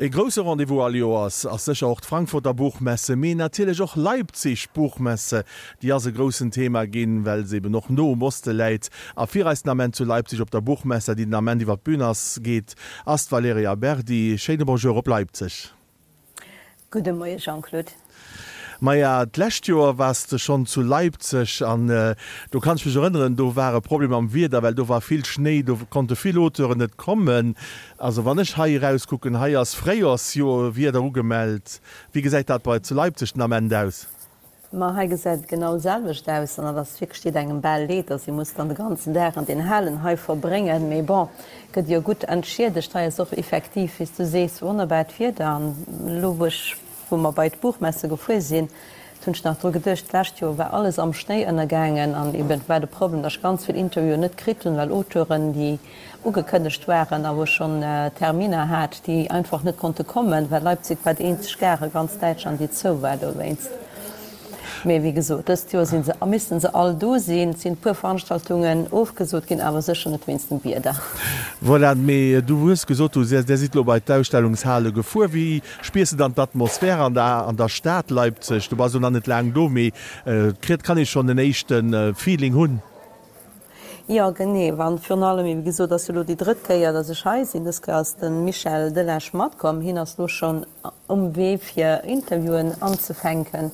E grousse Rendez-vous all Joers ass sécher och d'Frankfurter Buchmesse, mee natierlech och Leipzig Buchmesse. Déi ass e groussen Thema ginn, well se eben och no um Oste läit. A fir eis den Ament zu Leipzig op der Buchmesse, déi den Ament iwwer d'Bün ass, geet, ass d'Valerija Berdi. Schéine Bonjour op Leipzig. Gudde Moie Jean-Claude. Maja, d'lescht Joer waars de schonn zu Leipzig an do kann ech mech erënneren, do war e Problem mam Wieder, well do war vill Schnéi, do konnte vill Auteuren net kommen. Also wann ech hei erauskucken, hei ass Fréijoersjoerwieder ugemellt. Wéi gesäit dat bei zu Leipzig den Ament aus? Ma hei gesäit et genau selwecht aus an et ass wierklech, deet engem bal leed, dass ee muss dann de ganzen Dag an den Halen hei verbréngen. Mee bon, gëtt jo gutt entschiedegt. Hei ass och effektiv, wéi s du sees, wonnerbart Wieder an elo wou ech, wou mer bei d'Buchmesse gefuer sinn, hunn ech nach dru geduecht, d'lescht Joer war alles am Schnéi ënnergaangen an eben war de Problem, dass ech ganz vill Interviewen net kritt hunn, well Auteuren, déi ugekënnegt waren a wou ech schonn Terminer hat, déi einfach net konnte kommen, well Leipzig war déi eenzeg Gare a ganz Däitschland, déi zou war dowéinst. Mee wéi gesot, dëst Joer si se a missten se all do sinn. Et sinn e puer Veranstaltungen ofgesot ginn, awer sécher net wéinst dem Wieder. Voilà, mee du hues gesot, du där sidd elo bei d'Ausstellungshale gefuer. Wéi spiers de dann d'Atmosphär an der an der Stad Leipzig? Du bass elo nach net laang do, mee kritt kann ee schonn en éischte Feeling hunn? Jo, genee. An virun allem, wéi gesot, ass jo elo déi drëtt Kéier, datt ech hei sinn. Dës Kéier ass de Michel Delage matkomm. Hien ass elo schonn um Wee fir Interviewen anzefänken,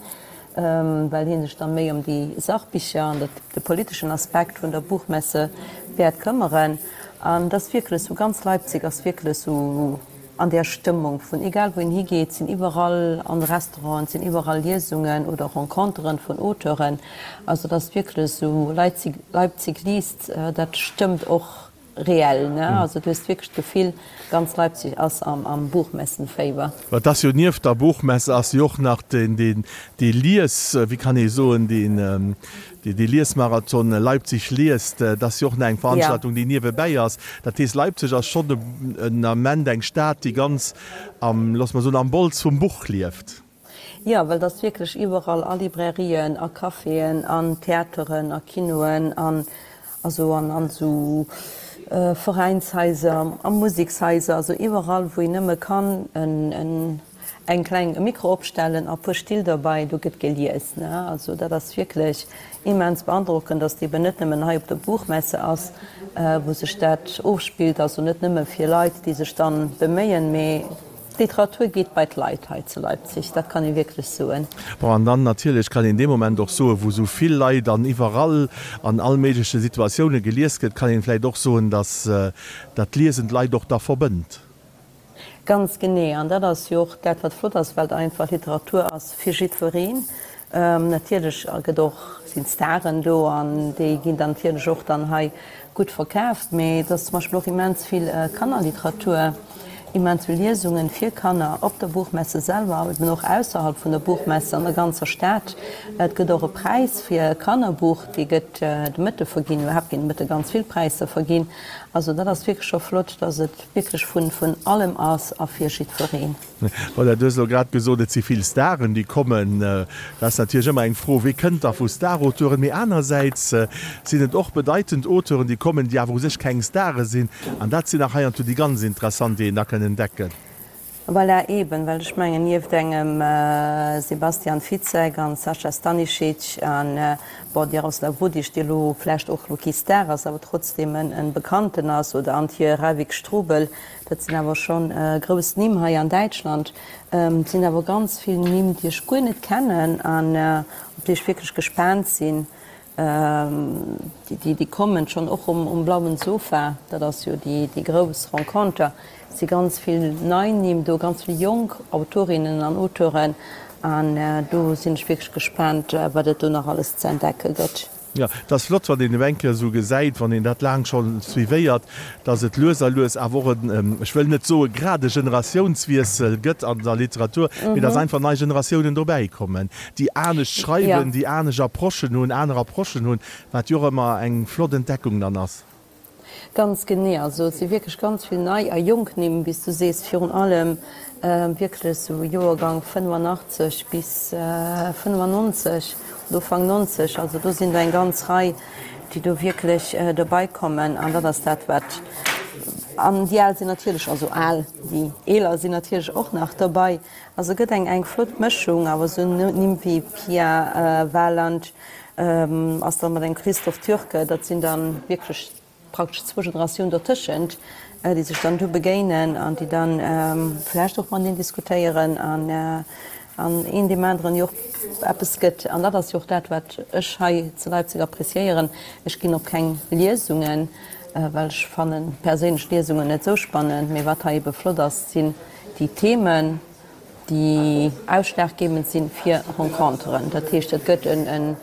well hie sech da méi ëm déi Sachbicher an de politeschen Aspekt vun der Buchmesse wäert këmmeren. An et ass wierklech esou, ganz Leipzig ass wierklech esou An där Stëmmung vun egal wou een higeet, sinn iwwerall an de Restauranten, sinn iwwerall Liesungen oder Renconteren vun Auteuren. Also et ass wierklech esou, Leipzig, Leipzig liest, dat stëmmt och reell, ne? Also du hues wierklech d'Gefill, ganz Leipzig ass am, am Buchmessenféiwer. Mä et ass jo nieft der Buchmesse ass jo och nach deen, deen, dee Lies, wéi kann ee soen, deen, Dee Liesmarathon Leipzig liest, dat ass jo och nach eng Veranstaltung, déi niewebäi ass. Dat heescht, Leipzig ass schonn en Ament eng Stad, déi ganz am, loosse mer soen, am Bols vum Buch lieft. Jo, well et ass wierklech iwwerall, a Librairien, a Caféen, an Theateren, a Kinoen, an also an an esou Veräinshaiser, a Musekshaiser, also iwwerall, wou een nëmme kann en Eng kleng e Mikro opstellen a puer Still derbei, do gëtt gelies, ne? Also dat ass wierklech immens beandrockend, dass et eben net nëmmen hei op der Buchmesse ass, wou sech dat ofspillt, also net nëmme fir Leit, déi sech dann beméien, mee d'Literatur geet bei d'Leit hei zu Leipzig, dat kann ee wierklech soen. Bon, an dann natierlech kann een dee Moment och soen, wou esou vill Leit an iwwerall an all méigleche Situatioune gelies gëtt, kann een vläicht och soen, dass dat Liesen d'Leit och da verbënnt. Ganz genee, an dat ass jo och dat, wat flott ass, well et einfach Literatur ass fir jiddwereen. Natierlech gëtt och, sinn d'Staren do an déi ginn dann natierlech och dann hei gutt verkaaft, mee et ass zum Beispill och immens vill Kannerliteratur, immens vill Liesungen fir Kanner op der Buchmesse selwer, awer eben och ausserhalb vun der Buchmesse an der ganzer Stad. Et gëtt och e Präis fir Kannerbuch, dee gëtt de Mëtte verginn, iwwerhaapt ginn de Mëtte ganz vill Präisser verginn. Also dat ass wierklech scho flott, dass et wierklech vun vun allem ass a fir jiddwereen. Voilà, du hues elo grad gesot, et si vill Staren, déi kommen. Dat ass natierlech ëmmer eng Fro, Wie kënnt da vu Star-Auteuren? Mee anersäits sinn et och bedeitend Auteuren, déi kommen, déi awer u sech keng Stare sinn. An dat sinn nach heiansdo déi ganz interessant, déi een da kënn entdecken. Voilà, eben, well ech mengen, nieft engem Sebastian Fitzek an Sascha Stanisic an, bon, Jaroslav Rudic, dee elo vläicht och elo kee Star ass, awer trotzdeem en Bekannten ass, oder Antje Rávik-Strubel, dat sinn awer scho grouss Nimm hei an Däitschland. Et sinn awer ganz vill Nimm, déi ech guer net kennen an op déi ech wierklech gespaant sinn. Déi kommen schonn och um Blauen Sofa, dat ass jo déi grouss Renconter. Et si ganz vill nei Nimm do, ganz vill jonk Autorinnen an Auteuren an do sinn ech wierklech gespaant, wat et do nach alles ze entdecke gëtt. Jo, et ass flott, wann een elo eng Kéier esou gesäit, wann een dat laang scho suivéiert, dass et lues a lues awer och en, ech wëll net soe grad e Generatiounswiessel gëtt an der Literatur, mee dass einfach nei Generatiounen dobäikommen, déi anescht schreiwen, déi anescht Approchen hunn, aner Approchen hunn, wat jo och ëmmer eng flott Entdeckung dann ass. Ganz genee. Also et si wierklech ganz vill nei a jonk Nimm, wéi s du sees, virun allem wierklech esou Joergang 85 bis 95 oder Ufank 90. Also do sinn der eng ganz Rei, déi do wierklech dobei kommen. An dat ass dat, wat. An déi Al sinn natierlech, also al, déi Eeler sinn natierlech och nach dobei. Also gëtt eng eng flott Mëschung, awer esou Nimm wéi Pia Waland ass dann mat engem Christoph Türke, dat sinn dann wierklech praktesch zwou Generatiounen dotëschent, déi sech dann do begéinen an déi dann vläicht och mateneen diskutéieren an an een deem aneren jo och eppes gëtt. An dat ass jo och dat, wat ech hei zu Leipzig appréciéieren. Ech ginn op keng Liesungen, well ech fannen perséinlech Liesungen net esou spannend, mee wat hei ebe flott ass, sinn déi Themen, déi ausschlaggebend sinn fir Renconteren. Dat heescht, et gëtt en,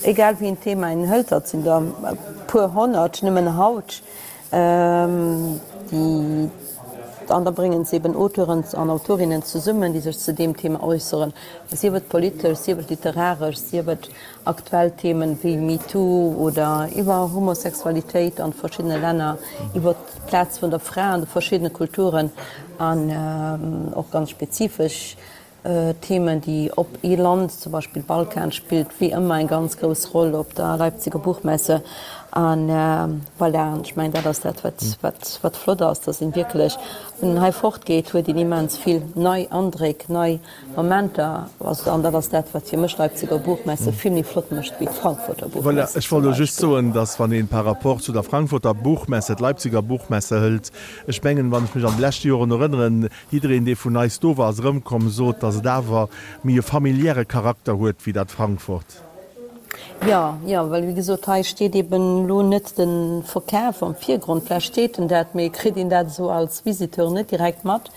egal wéi een Thema een hëlt, dat sinn der e puer honnert nëmmen haut, déi, an da bréngen se eben Auteuren an Autorinnen zesummen, déi sech zu deem Thema äusseren, sief et politesch, sief et literaresch, sief et aktuell Themen wéi MeToo oder iwwer Homosexualitéit an verschiddene Länner, iwwer d'Plaz vun der Fra an de verschiddene Kulturen an och ganz spezifesch Themen, déi op ee Land, zum Beispill Balkan, spillt wéi ëmmer eng ganz grouss Roll op der Leipziger Buchmesse. An voilà, an ech mengen, dat ass dat, wat, wat flott ass, dass een wierklech, wann een hei fortgeet, huet een immens vill nei Andréck, nei Momenter, also an dat ass dat, wat fir mech d'Leipziger Buchmesse vill méi flott mécht wéi d'Frankfurter Buchmesse. Voilà, ech wollt elo just soen, dass wann een par rapport zu der Frankfurter Buchmesse d'Leipziger Buchmesse hëlt, ech mengen, wann ech mech an de leschte Joren erënneren, jiddereen, dee vun eis do war, ass erëmkomm, sot, dass et awer méi e familiäre Charakter huet wéi dat Frankfurt. Jo, jo, well wéi gesot, hei steet eben elo net de Verkaf am Virgrond. Vläicht steet en dat, mee kritt een dat esou als Visiteur net direkt mat,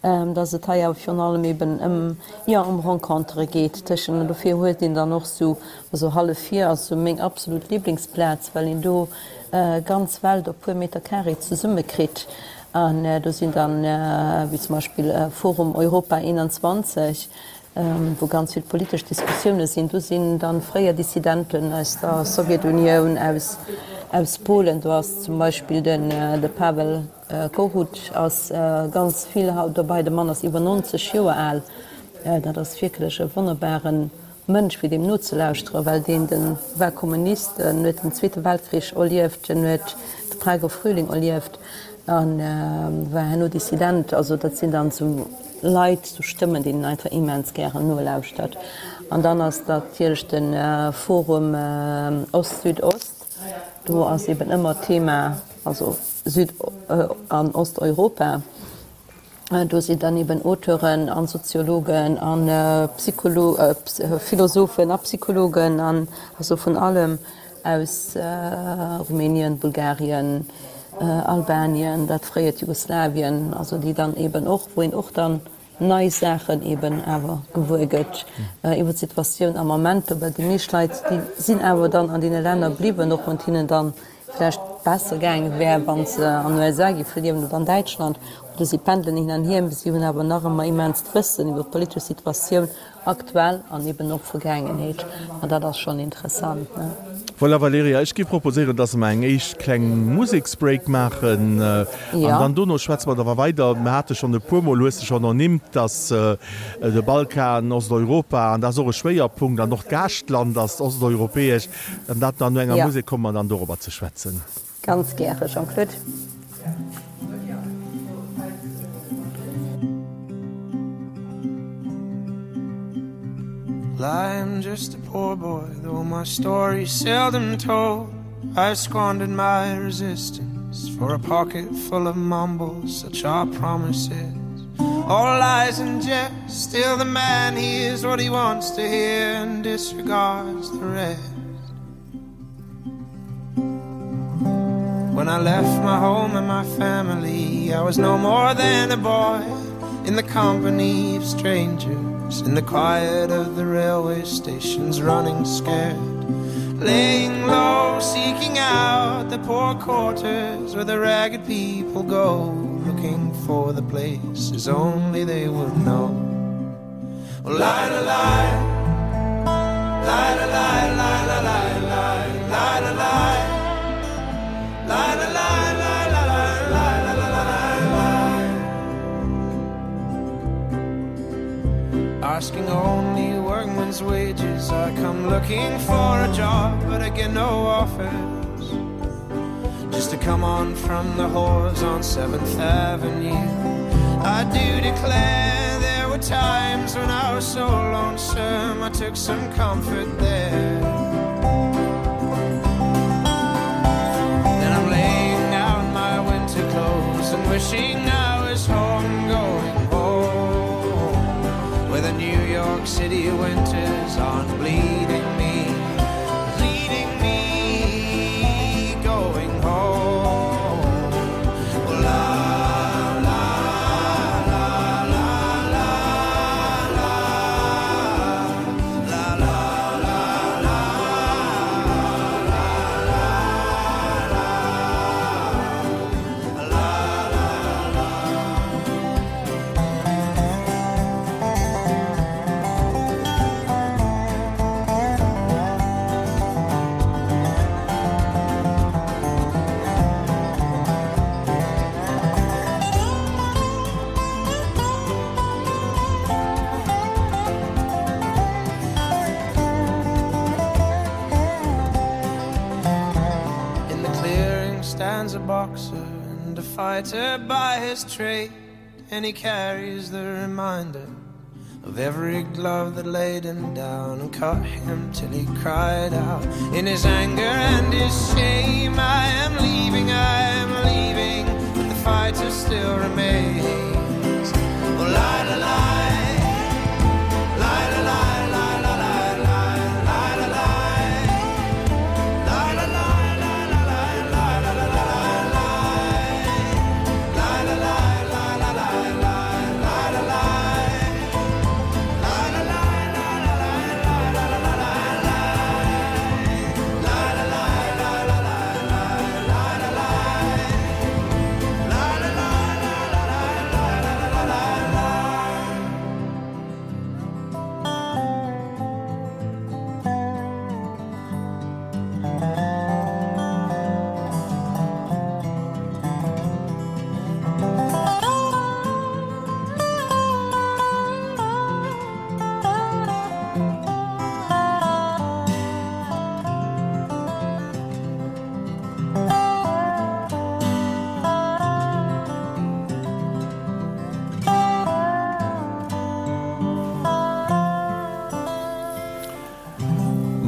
dass et hei awer virun allem eben ëm, jo, ëm Rencontere geet tëschent. An dofir huet een dann och esou, also Halle 4 ass esou meng absolut Liblingsplaz, well een do ganz Welt op puer Meter carré zesummekritt. An do sinn dann, wéi zum Beispill Forum Europa 21, wou ganz vill politesch Diskussioune sinn. Do sinn dann fréier Dissidenten aus der Sowjetunioun, aus aus Polen. Do ass zum Beispill den de Pavel Kohut ass ganz vill haut dobei. De Mann ass iwwer 90 Joer al. Dat ass wierklech e wonnerbare Mënsch fir deem nozelauschteren, well deen de war Kommunist, en huet den Zweete Weltkrich erlieft, en huet de Prager Frühling erlieft a war herno Dissident. Also dat sinn dann esou Leit, esou Stëmmen, deenen een einfach immens gären nolauschtert. An dann ass natierlech de Forum Ost-Süd-Ost, do ass eben ëmmer d'Thema, also Süd an Osteuropa, do sinn dann eben Auteuren an Soziologen a Philosophen a Psychologen an also vun allem aus Rumänien, Bulgarien, Albanien, dat fréiert Jugoslawien, also déi dann eben och, wou een och dann nei Saachen eben awer gewuer gëtt iwwer d'Situatioun am Ament. Well déi meescht Leit, déi sinn awer dann an deene Länner bliwwen, och wann et hinnen dann vläicht besser gaange wär, wa se an USA géife liewen oder an Däitschland, oder si pendelen hin an hier, si hunn awer nach ëmmer immenst Wëssen iwwer d'politesch Situatioun Aktuell an eben och Vergaangenheet, an dat ass schonn interessant, ne? Voilà Valerija, ech géif proposéieren, dass mer eng éischt kleng Museksbreak maachen an dann dono schwätze mer da weider. Mer hate schonn e puermol, hues de schonn ernimmt, dass de Balkan, Osteuropa, an dat ass och e Schwéierpunkt, an och d'Gaaschtland ass osteuropäesch, an dat dann no enger Musek komme mer dann dorobber ze schwätzen. Ganz gäre, Jean-Claude. I'm just a poor boy, though my story's seldom told. I squandered my resistance for a pocket full of mumbles, such are promises. All lies and jest, still the man hears what he wants to hear and disregards the rest. When I left my home and my family, I was no more than a boy in the company of strangers, in the quiet of the railway stations, running scared, laying low, seeking out the poor quarters where the ragged people go, looking for the places only they would know. Well, lie, lie, lie. Lie, lie, lie, lie, lie, lie, lie, lie, lie. Lie, lie, lie, lie, lie, lie, lie, lie, lie, lie. Asking only workman's wages, I come looking for a job, but I get no offers. to come on from the whores on 7th Avenue. I do declare there were times when I was so lonesome I took some comfort there. Then I'm laying down my winter clothes and wishing I was home going home where the New York City winters aren't bleeding me bleeding me going home oh, la, la, la, la, la, la, la, la, la, la, la, la, la, la, In the clearing stands a boxer and a fighter by his trade, and he carries the reminder of every glove that laid him down and cut him till he cried out in his anger and his shame I am leaving I am leaving but the fighter still remains oh, la, la, la. La la la la la la la la la la La la la la la la la la la la la La la la la la la la la la la La la la la la la la la la la la La la la la la la la la la la La la la la la la la la la la la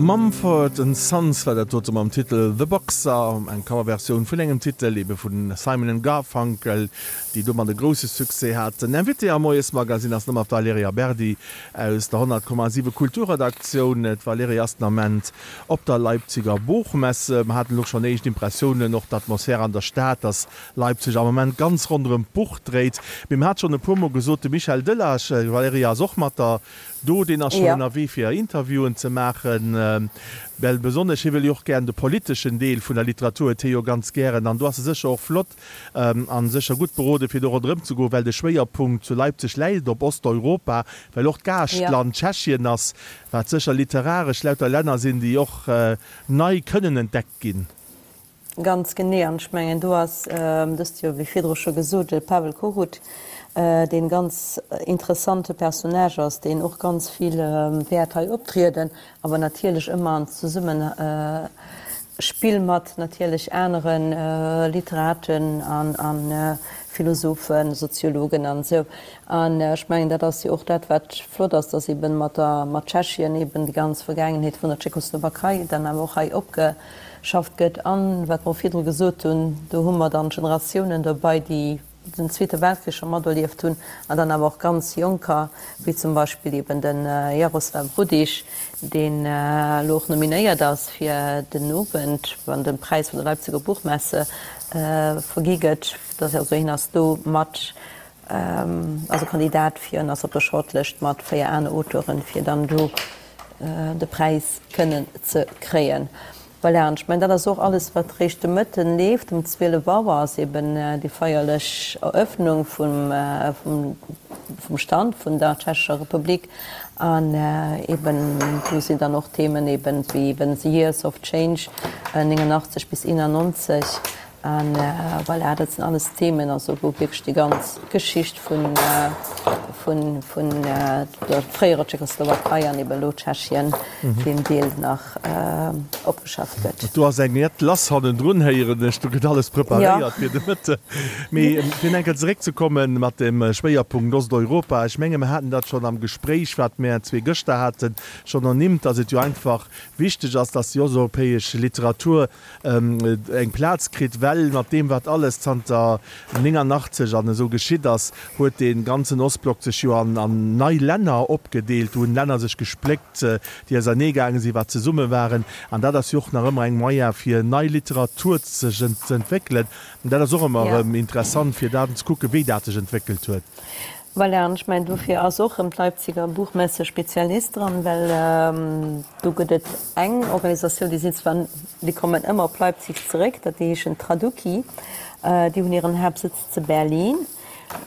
Mumford and Sons war dat dote mam Titel The Boxer, eng Coverversioun vun engem Titel ebe vu Simon and Garfunkel, déi domat e grousse Succès haten. Invitée am Moiesmagazine ass nëmmer d'Valerija Berdi aus der 100,7 Kulturredaktioun. D'Valerija ass den Ament op der Leipziger Buchmesse. Mer haten elo schonn éischt Impressiounen, och d'Atmosphär an der Stad, dass Leipzig am Ament ganz ronderëm d'Buch dréit. Mee mer hat schonn e puer Mol gesot, de Michel Delage, d'Valerija ass och mat der do, deen ass schonn ënnerwee fir Interviewen ze maachen, well besonnesch hie wëll jo och gären de politeschen Deel vun der Literatur huet hie jo ganz gären an do ass e sécher och flott a sécher gutt berode fir do ronderëm ze goen, well de Schwéierpunkt zu Leipzig läit op Osteuropa, well och d'Gaaschtland Tschechien ass, wat sécher literaresch lauter Länner sinn, déi och nei kënnen entdeckt ginn. Ganz genee. An ech mengen, do ass dëst Joer, wéi virdru scho gesot, de Pavel Kohut, dee ganz interessante Personnage ass, deen och ganz vill wäert hei optrieden, awer natierlech ëmmer an Zesummespill mat natierlech anere Literaten a Philosophen, Soziologen an esou. An ech mengen, dat ass jo och dat, wat flott ass, dass eeben mat der, mat Tschechien eeben déi ganz Vergaangenheet vun der Tschechoslowakei dann awer och hei opge. Schafft gëtt. An, wat mer och virdru gesot hunn, do hu mer dann Generatiounen dobei, déi den Zweete Weltkrich scho materlieft hunn, an dann awer och ganz Jonker, wéi zum Beispill eben de Jaroslav Rudiš, deen elo och nominéiert ass fir den Owend, wann de Präis vun der Leipziger Buchmesse vergi gëtt. Also hien ass do mat also Kandidat fir, en ass op der Shortlëscht mat 4 aner Auteuren, fir dann do de Präis kënnen ze kréien. Voilà, an ech mengen, dat ass och alles, wat réischt de Mëtten leeft. Um 12 Auer ass eben déi feierlech Eröffnung vum, vum Stand vun der Tschechescher Republik. An eben do sinn dann och Themen eben wéi eben The Years of Change, 89 bis 91. An voilà, dat sinn alles Themen, also wou wierklech déi ganz Geschicht vun, vun, vun der fréierer Tschechoslowakei an eben elo Tschechien, deem Deel nach opgeschafft gëtt. Do ass eng jett lass hannendrun, héieren ech. Do gëtt alles preparéiert fir de Mëtten. Mee fir nach eng Kéier zeréckzekomme mat dem Schwéierpunkt Osteuropa, ech menge mer haten dat schonn am Gespréich, wat mär zwee gëschter haten, schonn ernimmt, datt et jo einfach wichteg ass, datt déi osteuropäesch Literatur eng Plaz kritt, well mat deem wat alles zanter 89 an esou geschitt ass, huet dee ganzen Ostblock sech jo an nei Länner opgedeelt, do hunn Länner sech gespléckt, déi ausernee gaange sinn, wat zesumme waren, an dat ass jo och nach ëmmer eng Moyen fir nei Literatur sech ze entwéckelen, an dat ass och ëmmer erëm interessant fir dat ze kucken, wéi dat sech entwéckelt huet. Voilà, an ech mengen, dofir ass och erëm d'Leipziger Buchmesse Spezialist dran, well do gëtt et eng Organisatioun, déi sinn zwar, déi kommen ëmmer op Leipzig zeréck, dat déi heeschen Traduki, déi hunn hiren Haaptsëtz ze Berlin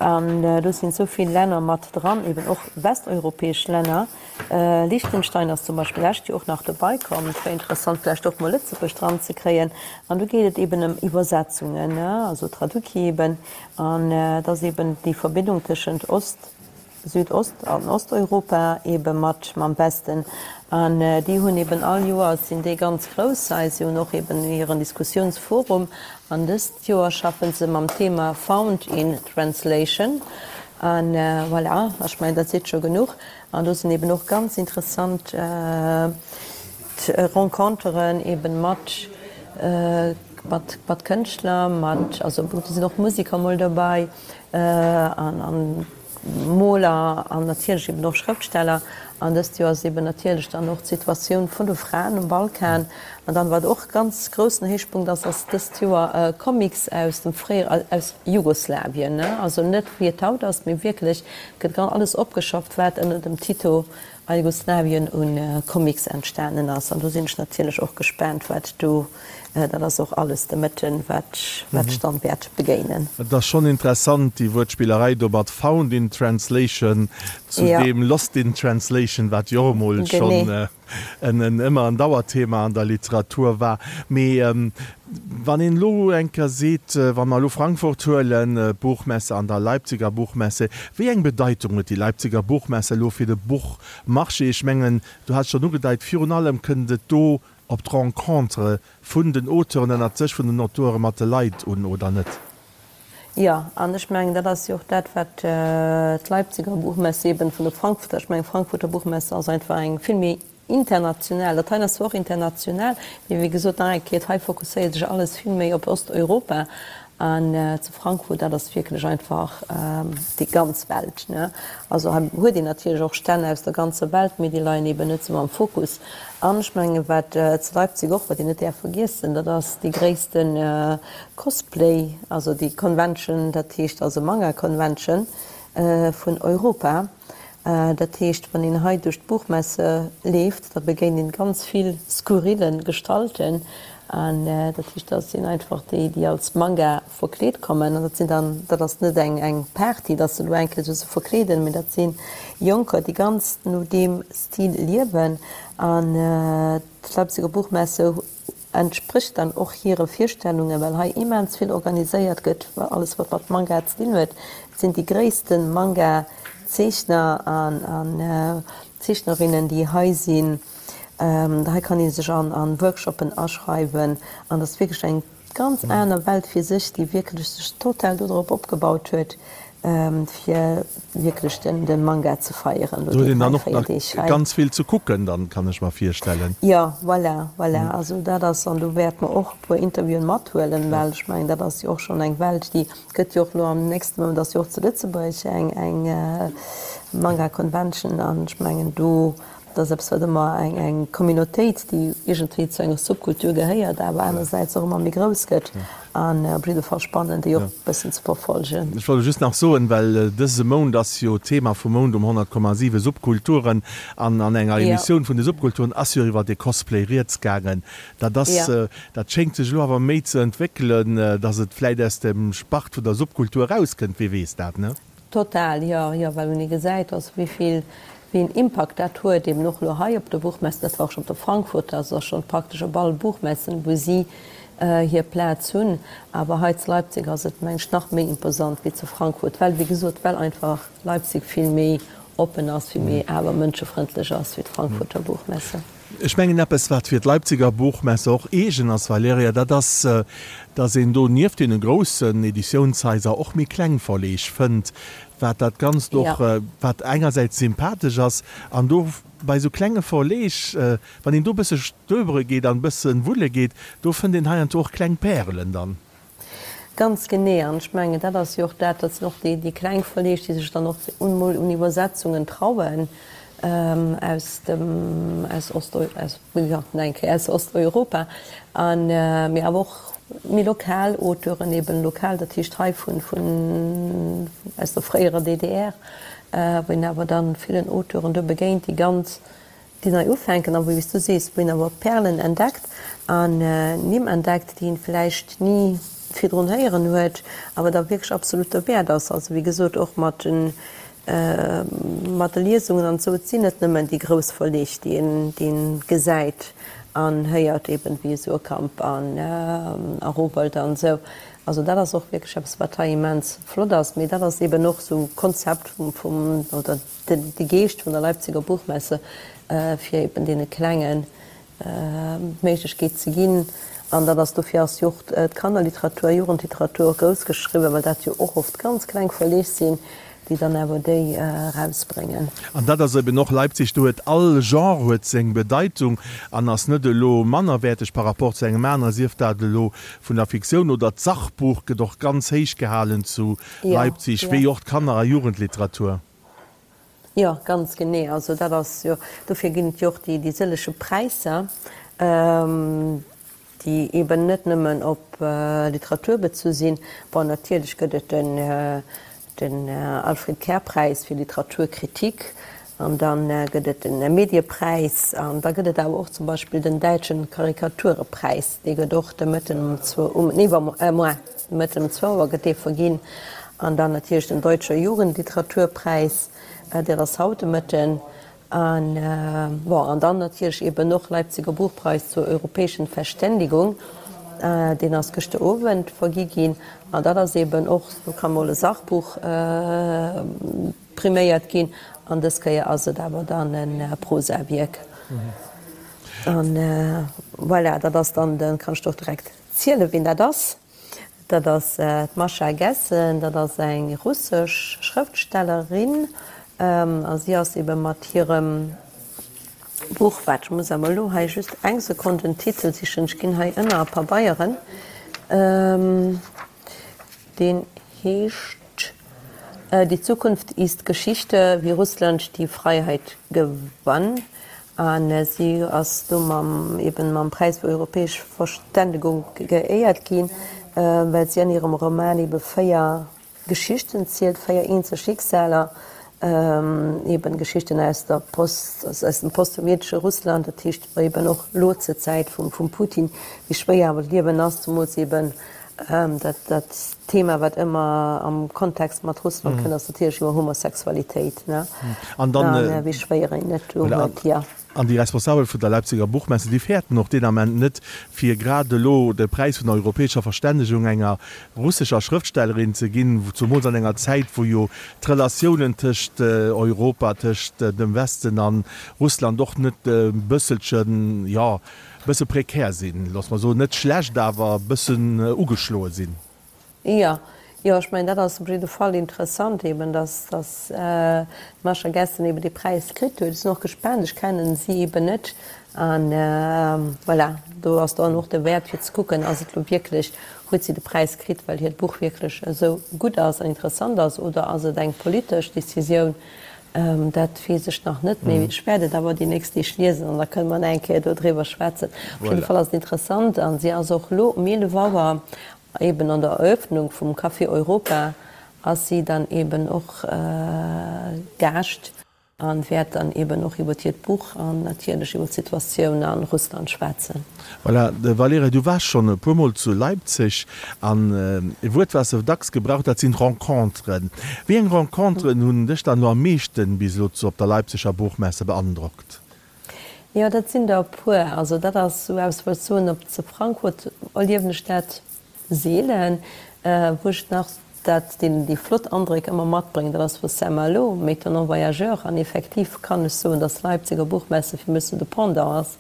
an do sinn esou vill Länner mat dran, eben och westeuropäesch Länner. Liechtenstein ass zum Beispill lescht Joer och nach dobei komm. Et wär interessant vläicht och mol Lëtzebuerg dran ze kréien. An do geet et eben ëm Iwwersetzungen, also Traduki eben. An et ass eben déi Verbindung tëschent Ost, Südost an Osteuropa ebe mat mam Westen. An déi hunn eben all Joer sinn déi ganz grouss hei. Si hunn och eben hiren Diskussiounsforum. An dëst Joer schaffen se mam Thema Found in Translation. An voilà, ech mengen dat seet scho genuch. An do sinn eben och ganz interessant Renconteren eben mat mat mat Kënschtler, mat also do sinn och Musiker mol dobäi an an Moler an natierlech eben och Schrëftsteller. An dëst Joer ass eben natierlech dann och d'Situatioun vun de Fraen um Balkan. An dann, wat och ganz groussen Héichpunkt ass, ass dëst Joer Comics aus dem fréiere, aus Jugoslawien, also net wéi et haut ass, mee wierklech gëtt alles opgeschafft, wat ënner dem Tito a Jugoslawien un Comics entstanen ass. An do sinn ech natierlech och gespaant, wat do, dat ass och alles de Mëtten, wat wat ech dann wäert begéinen. Et ass schonn interessant, déi Wuertspillerei do mat found in translation zu deem lost in translation, wat jo och emol schonn en ëmmer en Dauerthema an der Literatur war. Mee wann een elo eng Kéier seet, wa mer elo Frankfurt huelen, d'Buchmesse an der Leipziger Buchmesse, wéi eng Bedeitung huet déi Leipziger Buchmesse elo fir de Buchmarché? Ech mengen, du has et schonn ugedeit, virun allem kënnt et do op d'Rencontere vun den Auteuren ënnert sech, vun den Auteure mat de Leit un, oder net? Jo, an ech mengen, dat ass jo och dat, wat d'Leipziger Buchmesse eben vun der Frankfurter, ech mengen, d'Frankfurter Buchmesse ass einfach eng vill méi international, dat hei ass zwar och international, mee wéi gesot, nach eng Kéier, hei fokusséiert sech alles vill méi op Osteuropa an zu Frankfurt, dat ass wierklech einfach déi ganz Welt, ne. Also hei huet een natierlech och Stänn aus der ganzer Welt, mee déi leien eben net esou am Fokus. An ech mengen, wat zu Leipzig och, wat een net däerf vergiessen, dat ass déi gréisste Cosplay, also déi Convention, dat heescht also Manga Convention vun Europa. Dat heescht, wann een hei duerch d'Buchmesse leeft, da begéint een ganz vill skurrile Gestalten. An dat heescht, dat sinn einfach déi, déi als Manga verkleet kommen. An dat sinn dann, dat ass net eng eng Party, datt se elo eng Kéier sech verkleeden, mee dat si Jonker, déi ganz no deem Stil liewen. An d'Leipziger Buchmesse entsprécht dann och hire Virstellungen, well hei immens vill organiséiert gëtt, alles wat mat Manga ze dinn huet. Et sinn déi gréisste Manga-Zeechner an Zeechnerinnen, déi hei sinn. Hei kann ee sech an Workshoppen aschreiwen an dat ass wierklech eng ganz aner Welt fir sech, déi wierklech sech total dodrop opgebaut huet, fir wierklech de Manga ze feieren. Do huet een dann och nach ganz vill ze kucken dann, kann ech mer virstellen. Jo, voilà, voilà. Also dat ass, an do wäerte mer och e puer Interviewen mathuelen, well ech mengen, dat ass jo och schonn eng Welt, déi gëtt jo och elo am nächste Mount ass jo och zu Lëtzebuerg eng eng Manga Convention an ech mengen do Dat ass eppes, wat ëmmer eng eng Communautéit, déi iergendwéi zu enger Subkultur gehéiert, awer anersäits och ëmmer méi grouss gëtt an op jidde Fall spannend, déi och e bëssen ze verfolgen. Ech wollt just nach soen, well dëse Mount ass jo d'Thema vum Mount um 100,7 Subkulturen an an enger Emissioun vun de Subkulturen ass jo iwwer de Cosplay rieds gaangen. Dat ass, dat schéngt sech elo awer méi ze entwéckelen, datt et vläit aus dem Spart vun der Subkultur erauskënnt, wee weess dat, ne? Total, jo, jo, well wann ee gesäit, also wéi vill, wéi een Impakt dat huet, eben och elo hei op der Buchmesse, dat war och schonn op der Frankfurter, also ass schonn praktesch op alle Buchmessen, wou si. Hir Plaz hunn. Awer hei zu Leipzig ass et, meng ech, nach méi imposant wéi zu Frankfurt, well, wéi gesot, well einfach Leipzig vill méi oppen ass, vill méi awer mënschefrëndlech ass wéi d'Frankfurter Buchmesse. Ech mengen, eppes, wat fir d'Leipziger Buchmesse och eegen ass, Valerija, dat ass, dass een do nieft deene groussen Editiounshaiser och méi kleng Verleeg fënnt, wat dat Ganzt och, wat engersäits sympathesch ass, an do bei esou klenge Verleeg, Wann een do bësse stöbere geet an bësse wulle geet, do fënnt een heiansdo och kleng Pärelen dann. Ganz genee. An ech mengen, dat ass jo och dat, dat sinn och déi, déi kleng Verleeg, déi sech dann och un mol un Iwwersetzungen trauen aus dem, aus Ost-, aus, jo, nach eng Kéier, aus Osteuropa. An, mee awer och méi lokal Auteuren, eben lokal, dat heescht hei vun, vun, aus der fréierer DDR, wou een awer dann villen Auteuren do begéint, déi ganz, déi nei ufänken a wou, wéi s du sees, wou een awer Perlen entdeckt an Nimm entdeckt, déi een vläicht ni virdrun héieren huet, awer da wierklech absolut derwäert ass. Also wéi gesot, och mat de mat de Liesungen an esou, et sinn net nëmmen déi grouss Verleeg, déi een déi een gesäit an héiert, eben wéi Suhrkamp an a Rowohlt an esou. Also dat ass och wierklech eppes, wat hei immens flott ass. Mee dat ass eben och esou Konzept vum vum oder de Geescht vun der Leipziger Buchmesse, fir eben deene Klengen d'Méiglechkeet ze ginn. An dat ass, dofir ass jo och d'Kannerliteratur, Jugendliteratur och grouss geschriwwen, well dat jo och oft ganz kleng Verleeg sinn, déi dann awer déi erausbréngen. An dat ass eben och Leipzig, do huet all Genre huet seng Bedeitung an ass net elo mannerwäerteg par rapport zu engem anere, sief dat elo vun der Fiktioun oder d'Sachbuch gëtt och ganz héich gehalen zu Leipzig, wéi och d'Kanner a Jugendliteratur. Jo, ganz genee. Also dat ass jo, dofir ginn et jo och déi sëllege Präisser, déi eeben net nëmmen op Literatur bezu sinn. Bon, natierlech gëtt et den Alfred Kerr-Präis fir Literaturkritik an da gëtt et de Mediepräis an da gëtt et awer och zum Beispill den Däitschen Karikaturepräis, dee gëtt och de Mëtten um zwou, um, nee, moins, de Mëtten um zwou Auer gëtt dee verginn. An dann natierlech den Deutscher Jugendliteraturpreis, dat ass haut de Mëtten. An, bon, an dann natierlech eben och Leipziger Buchpreis zur europäischen Verständigung, deen ass gëschter Owend vergi ginn. An dat ass eben och, do ka mol e Sachbuch priméiert ginn, an dës Kéier ass et awer dann e Prosawierk. An voilà, dat ass dann de, kann ech der och direkt zielen, wien dat ass. Dat ass d'Mascha Gessen, dat ass eng russesch Schrëftstellerin a si ass ebe mat hirem Buch, waart ech muss awer elo hei just eng Sekonn den Titel sichen, ech ginn hei ënner a Pabeieren, deen heescht Die Zukunft ist Geschichte, wie Russland die Freiheit gewann. A si ass do mam, eben mam Präis fir europäesch Verständegung geéiert ginn, well si an hirem Roman ebe 4 Geschichten zielt, 4 eenzel Schicksaler, eben Geschichten aus der Post, aus dem postsowjetesche Russland, dat heescht eben och elo zur Zäit vum Putin, wéi schwéier awer d'Liewen ass, zemools eben Dat dat Thema, wat ëmmer am Kontext mat Russland kënnt, ass natierlech ëmmer Homosexualitéit, ne? An dann, An wéi schwéier een et do huet, jo. An déi Responsabel vun der Leipziger Buchmesse, déi fäerten och deen Ament net, fir grad elo de Präis vun der europäescher Verstännegung enger russescher Schrëftstellerin ze ginn, zumools an enger Zäit, wou jo d'Relatiounen tëscht Europa, tëscht dem Westen a Russland och net e bësselchen, jo, Bësse prekär sinn, loosse mer soen, net schlecht, awer e bëssen ugeschloe sinn. Jo, jo, ech mengen, dat ass op jidde Fall interessant eben, dass, dass d'Mascha Gessen eben dee Präis kritt huet. Ech sinn och gespaant, ech kennen si eben net. An voilà, do ass dann och de Wäert fir ze kucken, ass et elo wierklech, huet si de Präis kritt, well hiert Buch wierklech esou gutt ass an interessant ass, oder ass et eng politesch Decisioun? Dat weess ech nach net, mee ech wäert et awer déi nächst Deeg liesen an da kënne mer nach eng Kéier dodriwwer schwätzen. Op jidde Fall ass et interessant a si ass och elo um 11 Auer eben an der Eröffnung vum Café Europa ass si dann eben och Gaascht a wäert dann eben och iwwer hiert Buch an natierlech iwwer d'Situatioun a Russland schwätzen. Voilà, Valerija, du waars schonn e puer Mol zu Leipzig an e Wuert, wat s de dacks gebraucht, dat sinn Renconteren. Wéi eng Renconteren hunn dech dann elo am meeschten bis elo zu op der Leipziger Buchmesse beandrockt? Jo, dat sinn der e puer. Also dat ass esou eppes, wou ech soen, op zu Frankfurt erliewen ech dat seelen, wou ech nach dat, deen déi flott Andréck ëmmer matbréngt, dat ass vu Saint-Malo, M'étonnant voyageur. An effektiv kann ech soen, dass Leipziger Buchmesse fir mech sou de Pendant ass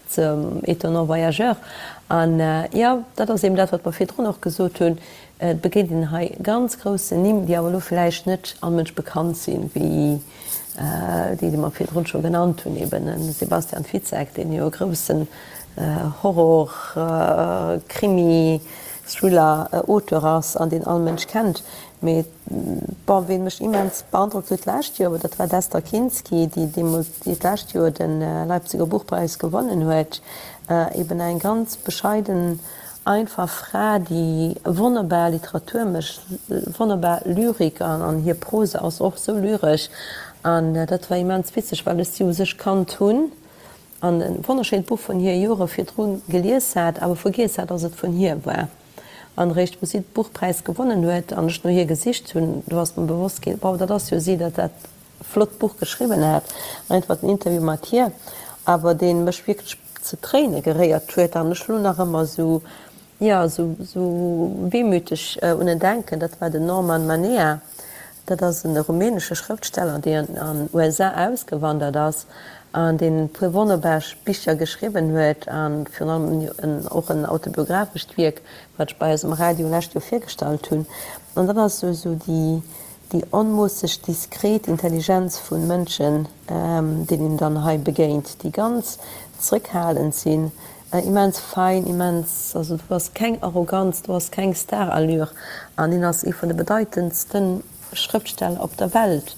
zum Étonnant voyageur. An jo, dat ass eben dat, wat mer virdrun och gesot hunn, Et begéint een hei ganz groussen Nimm, déi awer elo vläicht net all Mënsch bekannt sinn, wéi déi, déi mer virdrun scho genannt hunn, eben de Sebastian Fitzek, deen jo e groussen Horror-, Krimi-, Thriller-Auteur ass an deen all Mënsch kennt. Mee bon, ween mech immens beandrockt huet d'lescht Joer, dat war d'Esther Kinsky, déi deemools, déi d'lescht Joer de Leipziger Buchpreis gewonnen huet, eben eng ganz bescheiden Einfach Fra, déi wonnerbar Literatur mécht, wonnerbar Lyrik an hir Prose ass och sou lyresch an dat war immens witzeg, well ech si u sech kannt hunn an e wonnerschéint Buch vun hir Jore virdru gelies hat, awer vergiess hat, dass et vun hir war. An eréischt wou si de Buchpräis gewonnen huet an ech no hir gesicht hunn, do ass mer bewosst ginn, wow, dat ass jo si, dat dat flott Buch geschriwwen hat. Einfach den Interview mat hir, awer dee mech wierklech zu Tréine geréiert huet an ech lo nach ëmmer esou, jo, esou, esou wehmüteg un en denken, dat war den Norman Manea. Dat ass e rumänesche Schrëftsteller, deen an USA ausgewandert ass an deen e puer wonnerbar Bicher geschriwwen huet a virun allem och en autobiographescht Wierk, wat ech bei eis um Radio lescht Joer virgestallt hunn. An dat ass esou, esou déi, Déi onmoosseg diskret Intelligenz vu Mënschen, deenen een dann hei begéint, déi ganz zrëckhalend sinn, immens fein, immens, also do ass keng Arroganz, do ass keng Starallure an hien ass ee vun de bedeitendste Schrëftsteller op der Welt,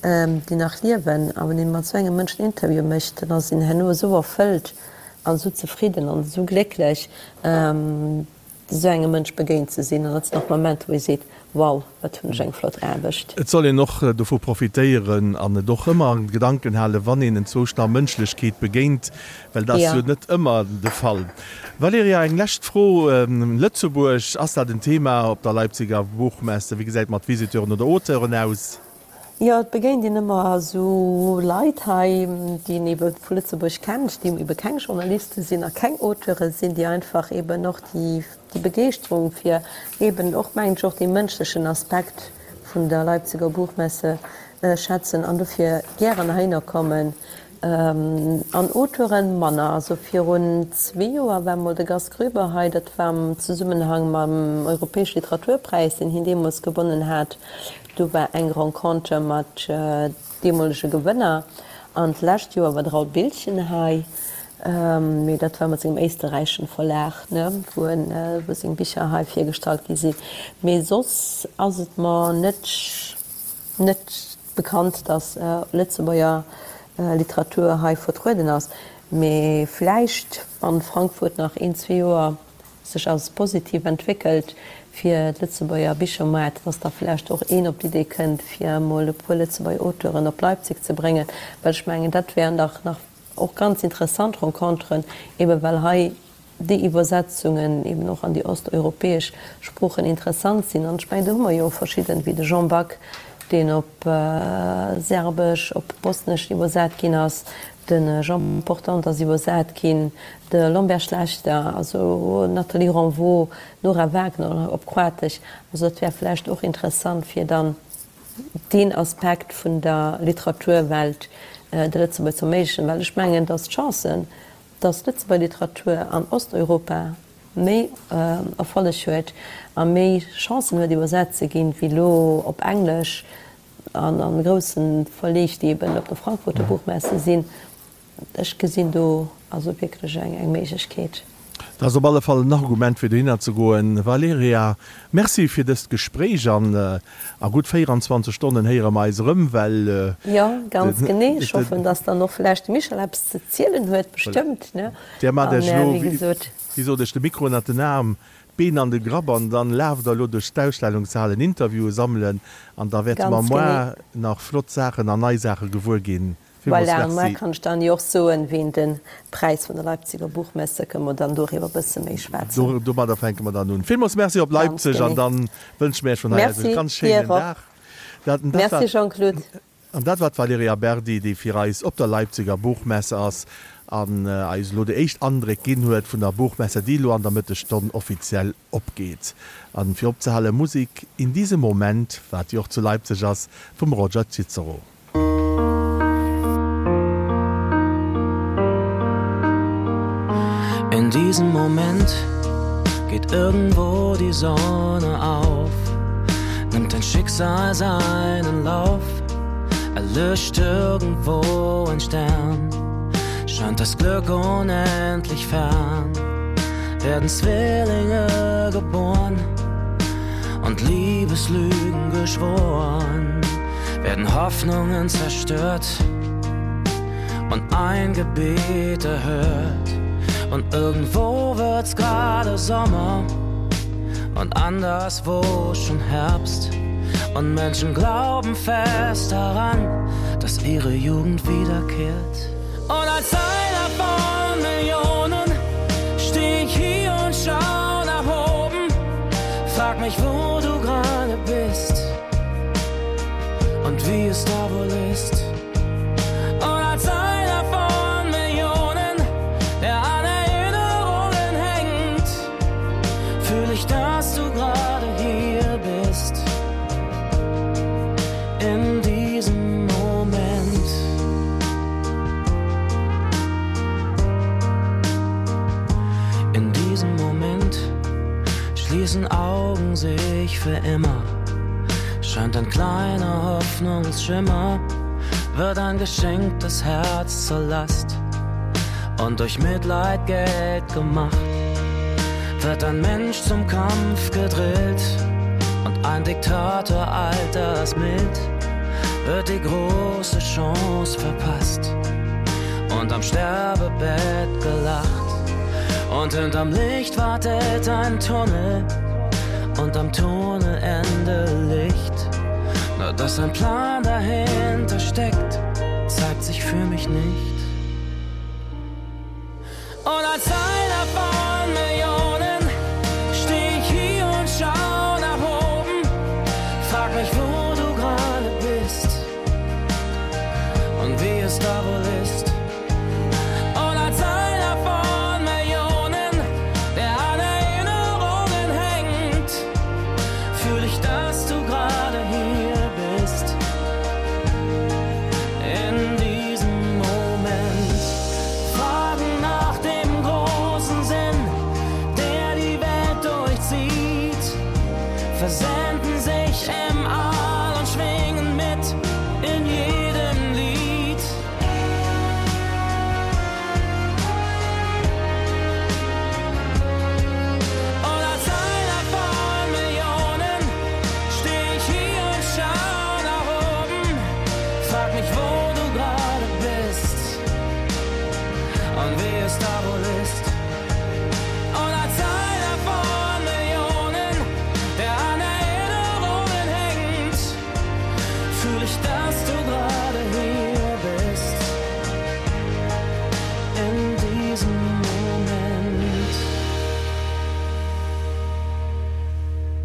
déi nach liewen. A wann ee mat esou engem Mënsch en Interview mécht, dann ass een herno esou erfëllt an esou zefridden an esou glécklech. Esou engem Mënsch begéint ze sinn, an dat sinn och Momenter, wou ee seet, Wow, wat hunn ech eng flott Aarbecht. Et soll een och dovu profitéieren an et och ëmmer an Gedanken halen, wann een enzwousch nach Mënschlechkeet begéint, well dat ass jo net ëmmer de Fall. Valerija, eng lescht Fro, Lëtzebuerg, ass dat en Thema op der Leipziger Buchmesse? Wéi gesäit et mat Visiteuren oder Auteuren aus? Jo, et begéint een ëmmer esou Leit hei, déi een ebe vu Lëtzebuerg kennt, déi ebe keng Journaliste sinn a keng Auteure sinn, déi einfach eben och déi Begeeschterung fir eben och, mengen ech, och dee mënschlechen Aspekt vun der Leipziger Buchmesse schätzen an dofir gären heihinner kommen. An Auteuren manner. Also virun zwee Joer war mol de Gast Grüber hei, dat war am Zesummenhang mam Europäesche Literaturpräis, deen hien deemools gewonnen hat. Do war eng Renconter mat deemolege Gewënner. An d'lescht Joer war de Raoul Biltgen hei, mee dat war mat sengem éisterräichen Verlag, ne, wou en, wou seng Bicher hei virgestallt gi sinn. Mee soss ass et mer net, net bekannt, datt Lëtzebuerger Literatur hei vertrueden ass. Mee vläicht, wann Frankfurt nach een, zwee Joer sech als positiv entwéckelt fir d'Lëtzebuerger Bichermoart, dass da vläicht och een op d'Idee kënnt, fir emol e puer Lëtzebuerger Auteuren op Leipzig ze bréngen, well ech mengen, dat wären dach nach och ganz interessant Renconteren, ebe well hei déi Iwwersetzungen eben och an déi osteuropäesch Sproochen interessant sinn. An ech mengen, do hu mer jo och verschidden, wéi de Jean Back, deen op Serbesch, op Bosnesch iwwersat ginn ass, de Jean Portante ass iwwersat ginn, de Lambert Schlechter, also Nathalie Renvaux, Nora Wagner op Kroatesch. Also dat wär vläicht och interessant, fir dann deen Aspekt vun der Literaturwelt de Lëtzebuerger ze erméiglechen, well ech mengen, datt d'Chancen, datt d'Lëtzebuerger Literatur an Osteuropa méi Erfolleg huet a méi Chancen huet iwwersat ze ginn, wéi elo op Englesch an a grousse Verleeg, déi eben op der Frankfurter Buchmesse sinn. Ech gesinn do also wierklech eng Méiglechkeet. Dat ass op alle Fall en Argument fir dohinner ze goen. Valerija, Merci fir dëst Gespréich an a gutt 24 Stonnen héiere mer eis erëm, well. Jo, ganz genee. Ech hoffen, dass dann och vläicht de Michel eppes ze zielen huet, bestëmmt, ne? Där maacht Iech elo, wéi sot ech, de Mikro ënnert den Aarm, d'Been an de Grapp an dann laaft der elo duerch d'Ausstellungshalen Interviewen sammelen an da wäerte mer moar nach flott Saachen an nei Saache gewuer ginn. Villmools Voilà, an muer kann ech dann jo och soen, ween de Präis vun der Leipziger Buchmesse, kënne mer dann doriwwer e bësse méi schwätzen. Domadder fänke mer dann un. Villmools Merci op Leipzig an dann wënsche mir Iech vun hei aus e ganz schéinen Dag. Merci Jean-Claude. An dat war d'Valerija Berdi, déi fir eis op der Leipziger Buchmesse ass. An eis elo déi éischt Andréck ginn huet vun der Buchmesse, déi elo an der Mëttesstonn offiziell opgeet. An fir opzehale Musik In diesem Moment, wat jo och zu Leipzig ass, vum Roger Cicero. In diesem Moment geht irgendwo die Sonne auf, nimmt dein Schicksal seinen Lauf, erlischt irgendwo ein Stern, scheint das Glück unendlich fern, werden Zwillinge geboren und Liebeslügen geschworen, werden Hoffnungen zerstört und ein Gebet erhört. Und irgendwo wird's gerade Sommer und anderswo schon Herbst. Und Menschen glauben fest daran, dass ihre Jugend wiederkehrt. Und als einer von Millionen steh ich hier und schau nach oben. Frag mich, wo du gerade bist und wie es da wohl ist. Und als einer von Millionen, der an Erinnerungen hängt, fühl ich, dass du gerade hier bist. In diesem Moment. In diesem Moment schließen Augen sich für immer. Scheint ein kleiner Hoffnungsschimmer, wird ein geschenktes Herz zur Last und durch Mitleid Geld gemacht. Wird ein Mensch zum Kampf gedrillt und ein Diktator altersmild, wird die große Chance verpasst und am Sterbebett gelacht. Und hinterm Licht wartet ein Tunnel und am Tunnelende Licht. Nur dass ein Plan dahinter steckt, zeigt sich für mich nicht. Und als einer von Millionen steh ich hier und schau nach oben. Frag mich, wo du gerade bist und wie es da wohl ist. Und als einer von Millionen, der an Erinnerungen hängt, fühl ich, dass du gerade hier bist. In diesem Moment Fragen nach dem großen Sinn, der die Welt durchzieht. Versetzt.